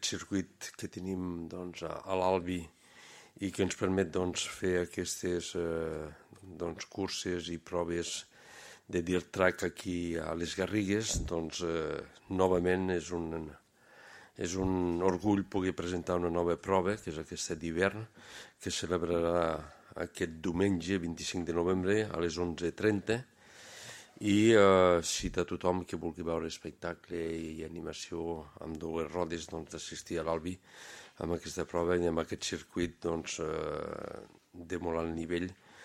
aquest circuit que tenim a l'Albi i que ens permet fer aquestes curses i proves de dirt track aquí a les Garrigues. Novament és un orgull poder presentar una nova prova, que és aquesta d'hivern, que es celebrarà aquest diumenge 25 de novembre a les 11:30, i cita a tothom que vulgui veure espectacle i animació amb dues rodes d'assistir a l'Albi amb aquesta prova i amb aquest circuit de molt alt nivell